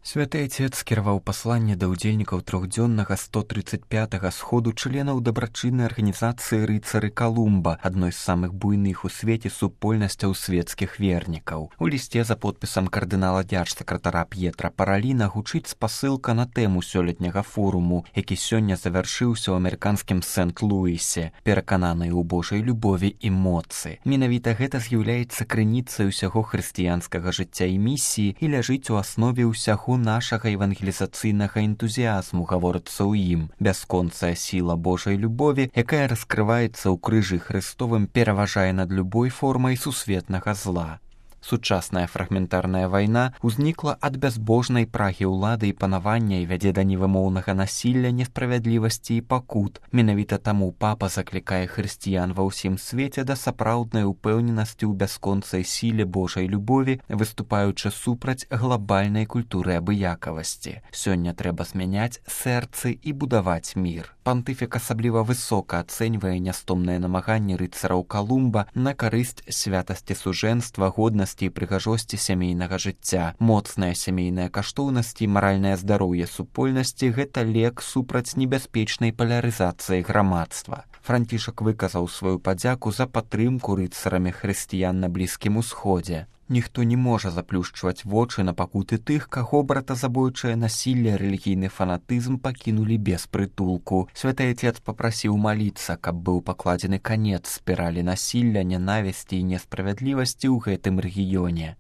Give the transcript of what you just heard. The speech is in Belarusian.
Святы Отец скіраваў пасланне да ўдзельнікаў трохдзённага 135-га сходу членаў дабрачыннай арганізацыі рыцары Калумба, адной з самых буйных у свеце супольнасцяў свецкіх вернікаў. У лісце за подпісам кардынала дзяржсакратара П'етра Параліна гучыць спасылка на тэму сёлетняга форуму, які сёння завяршыўся ў амерыканскім Сент-Луісе, перакананыя ў Божай любові і моцы. Менавіта гэта з'яўляецца крыніцай усяго хрысціянскага жыцця і місіі і ляжыць у аснове ўсяго нашага евангелізацыйнага энтузіазму, гаворыцца ў ім. Бясконцая сіла Божай любові, якая раскрываецца ў крыжы Хрыстовым, пераважае над любой формай сусветнага зла. Сучасная фрагментарная вайна ўзнікла ад бязбожнай прагі ўлады і панавання і вядзе да невымоўнага насілля, несправядлівасці і пакут. Менавіта таму папа заклікае хрысціян ва ўсім свеце да сапраўднай упэўненасці ў бясконцай сіле Божай любові, выступаючы супраць глабальнай культуры абыякавасці. Сёння трэба змяняць сэрцы і будаваць мір. Пантыфік асабліва высока ацэньвае нястомныя намаганні рыцараў Калумба на карысць святасці сужэнства, годнасці і прыгажосці сямейнага жыцця. Моцная сямейная каштоўнасць і маральнае здароўе супольнасці – гэта лек супраць небяспечнай палярызацыі грамадства. Францішак выказаў сваю падзяку за падтрымку рыцарамі хрысціян на Блізкім Усходзе. Ніхто не можа заплюшчваць вочы на пакуты тых, каго братазабойчае насілле, рэлігійны фанатызм пакінулі без прытулку. Святы Отец папрасіў маліцца, каб быў пакладзены канец спіралі насілля, нянавісці і несправядлівасці ў гэтым рэгіёне.